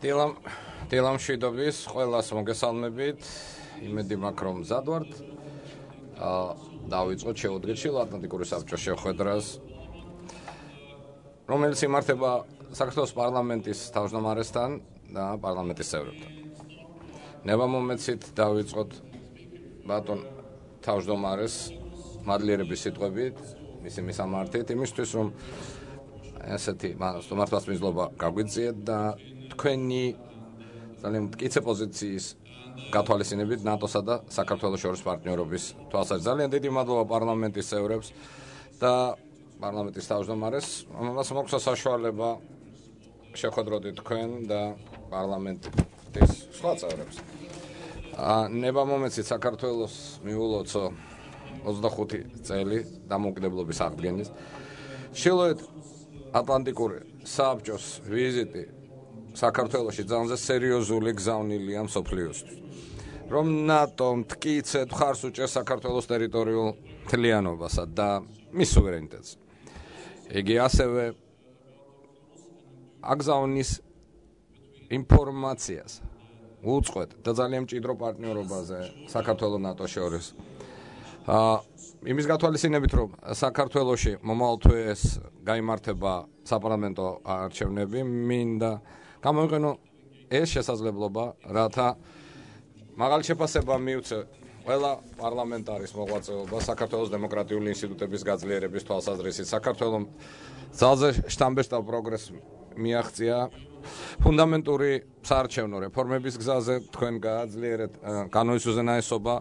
დილამ მშვიდობის ყველას მოგესალმებით. იმედი მაქვს რომ მზად ვართ. დავიწყოთ შევუდგეთ ატლანტიკური საბჭოს შეხვედრას, რომელიც იმართება საქართველოს პარლამენტის თავმჯდომარესთან და პარლამენტის წევრებთან. ნება მომეცით დავიწყოთ ბატონ თავმჯდომარეს მადლიერების სიტყვებით, მისი მისამართით, იმისთვის რომ ესეთი მართლაც მიზლობა გაგვიწიეთ და თქვენი ძალიან მტკიცე პოზიციის გათვალისწინებით ნატოსა და საქართველოს შორის პარტნიორობის თვალსაზრისით. ძალიან დიდი მადლობა პარლამენტის წევრებს და პარლამენტის თავმჯდომარეს, რომელსაც მოგვცა საშუალება შეხვედროდეთ თქვენ და პარლამენტის სხვა წევრებს. ნება მომეცით საქართველოს მიულოცო 25 წელი დამოუკიდებლობის აღდგენის. ჩრდილოეთ ატლანტიკური საბჭოს ვიზიტი საქართველოში ძალიან სერიოზული გზავნილია მსოფლიოსთვის. რომ ნატო მტკიცედ მხარს უჭერს საქართველოს ტერიტორიულ მთლიანობასა და მის სუვერენიტეტს. იგი ასევე აგზავნის ინფორმაციას უწყვეტ და ძალიან მჭიდრო პარტნიორობაზე საქართველოს ნატოს შორის. იმის გათვალისწინებით, რომ საქართველოში მომავალ თვეს გაიმართება საპარლამენტო არჩევნები, მინდა გამოვიყენო ეს შესაძლებლობა, რათა მაღალი შეფასება მიუწე ყველა პარლამენტარის მოღვაწეობა საქართველოს დემოკრატიული ინსტიტუტების გაძლიერების თვალსაზრისით. საქართველოს ძალზე შთამბეჭდავ პროგრესს მიაღწია ფუნდამენტური საარჩევნო რეფორმების გზაზე, თქვენ გააძლიერეთ კანონის უზენაესობა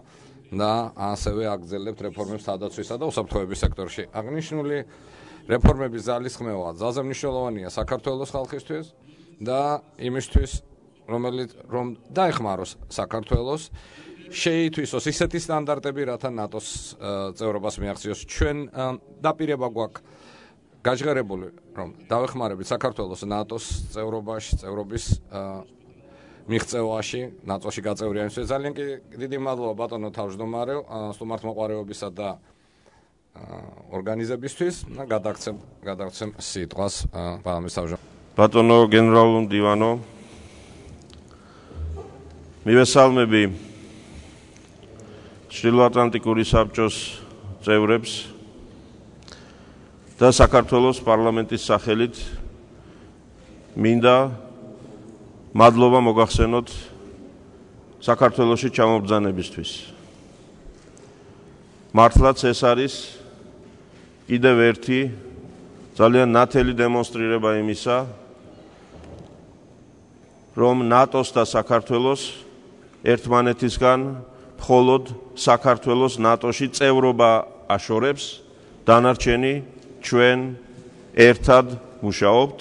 და ასევე აგრძელებთ რეფორმებს თავდაცვისა და უსაფრთხოების სექტორში. აღნიშნული რეფორმების ძალისხმევა ძალზე მნიშვნელოვანია საქართველოს ხალხისთვის და იმისთვის, რომ დაეხმაროს საქართველოს, შეითვისოს ისეთი სტანდარტები, რათა ნატოს წევრობას მიაღწიოს. ჩვენ დაპირება გვაქვს გაჟღერებული, რომ დავეხმარებით საქართველოს ნატოს წევრობის მიღწევაში, ნატოში გაწევრიანებისთვის. ძალიან დიდი მადლობა ბატონო თავმჯდომარე, სტუმართმოყვარეობისა და ორგანიზებისთვის. გადაგცემ სიტყვას პარლამენტის თავმჯდომარეს. ბატონო გენერალურ მდივანო, მივესალმები ჩრდილოატლანტიკური საბჭოს წევრებს და საქართველოს პარლამენტის სახელით მინდა მადლობა მოგახსენოთ საქართველოში ჩამობრძანებისთვის. მართლაც ეს არის კიდევ ერთი ძალიან ნათელი დემონსტრირება იმისა, რომ ნატოს და საქართველოს ერთმანეთისგან მხოლოდ საქართველოს ნატოში წევრობა აშორებს, დანარჩენი ჩვენ ერთად მუშაობთ,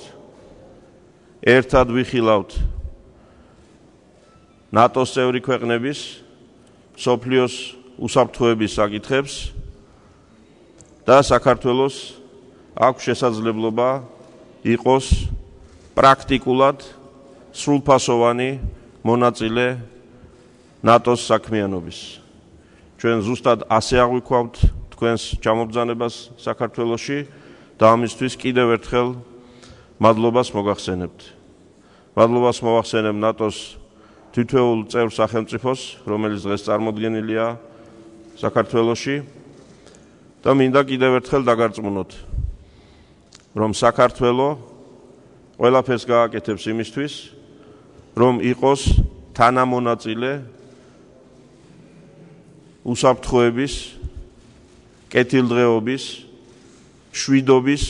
ერთად ვიხილავთ ნატოს წევრი ქვეყნების მსოფლიოს უსაფრთხოების საკითხებს და საქართველოს აქვს შესაძლებლობა იყოს პრაქტიკულად სრულფასოვანი მონაწილე ნატოს საქმიანობის. ჩვენ ზუსტად ასე აღვიქვავთ თქვენს ჩამობრძანებას საქართველოში და ამისთვის კიდევ ერთხელ მადლობას მოგახსენებთ. მადლობას მოვახსენებ ნატოს თითოეულ წევრ სახელმწიფოს, რომელიც დღეს წარმოდგენილია საქართველოში და მინდა კიდევ ერთხელ დაგარწმუნოთ, რომ საქართველო ყველაფერს გააკეთებს იმისთვის, რომ იყოს თანამონაწილე უსაფრთხოების, კეთილდღეობის, მშვიდობის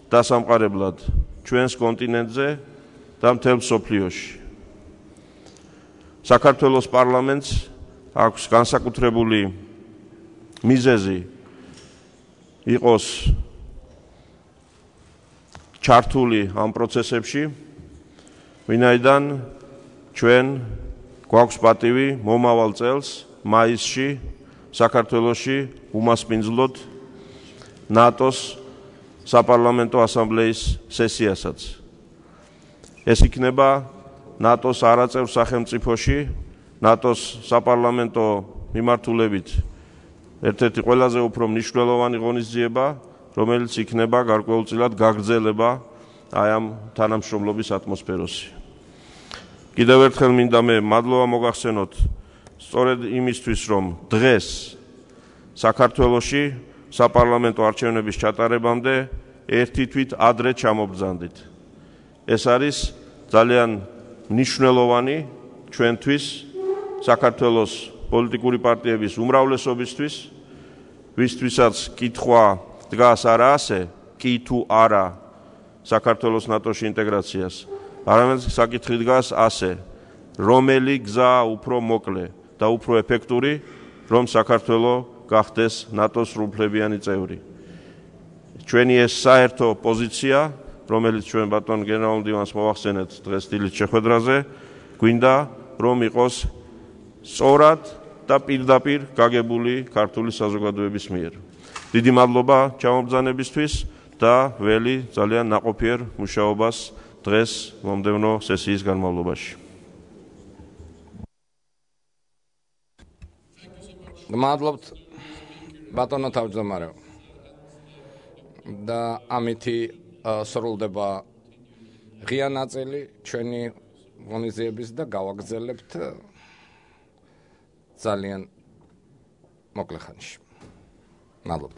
დასამყარებლად ჩვენს კონტინენტზე და მთელ მსოფლიოში. საქართველოს პარლამენტს აქვს განსაკუთრებული მიზეზი იყოს ჩართული ამ პროცესებში, ვინაიდან ჩვენ გვაქვს პატივი მომავალ წელს მაისში საქართველოში უმასპინძლოთ ნატოს საპარლამენტო ასამბლეის სესიასაც. ეს იქნება ნატოს არაწევრ სახელმწიფოში, ნატოს საპარლამენტო მიმართულებით ერთ-ერთი ყველაზე უფრო მნიშვნელოვანი ღონისძიება, რომელიც იქნება გარკვეულწილად გაგრძელება აი ამ თანამშრომლობის ატმოსფეროში. კიდევ ერთხელ მინდა მე მადლობა მოგახსენოთ სწორედ იმისთვის, რომ დღეს საქართველოში საპარლამენტო არჩევნების ჩატარებამდე ერთი თვით ადრე ჩამობრძანდით. ეს არის ძალიან მნიშვნელოვანი ჩვენთვის, საქართველოს პოლიტიკური პარტიების უმრავლესობისთვის, ვისთვისაც კითხვა დგას არა ასე, კი თუ არა საქართველოს ნატოში ინტეგრაციას, არამედ საკითხი დგას ასე, რომელი გზა უფრო მოკლე და უფრო ეფექტური, რომ საქართველო გახდეს ნატოს სრულუფლებიანი წევრი. ჩვენი ეს საერთო პოზიცია, რომელიც ჩვენ ბატონ გენერალურ მდივანს მოვახსენეთ დღეს დილით შეხვედრაზე, გვინდა რომ იყოს სწორად და პირდაპირ გაგებული ქართული საზოგადოების მიერ. დიდი მადლობა ჩამობრძანებისთვის და ველი ძალიან ნაყოფიერ მუშაობას დღეს მომდევნო სესიის განმავლობაში. მადლობთ ბატონო თავმჯდომარეო. და ამითი სრულდება ღია ნაწილი ჩვენი ღონისძიების და გავაგრძელებთ ძალიან მოკლე ხანში. მადლობთ.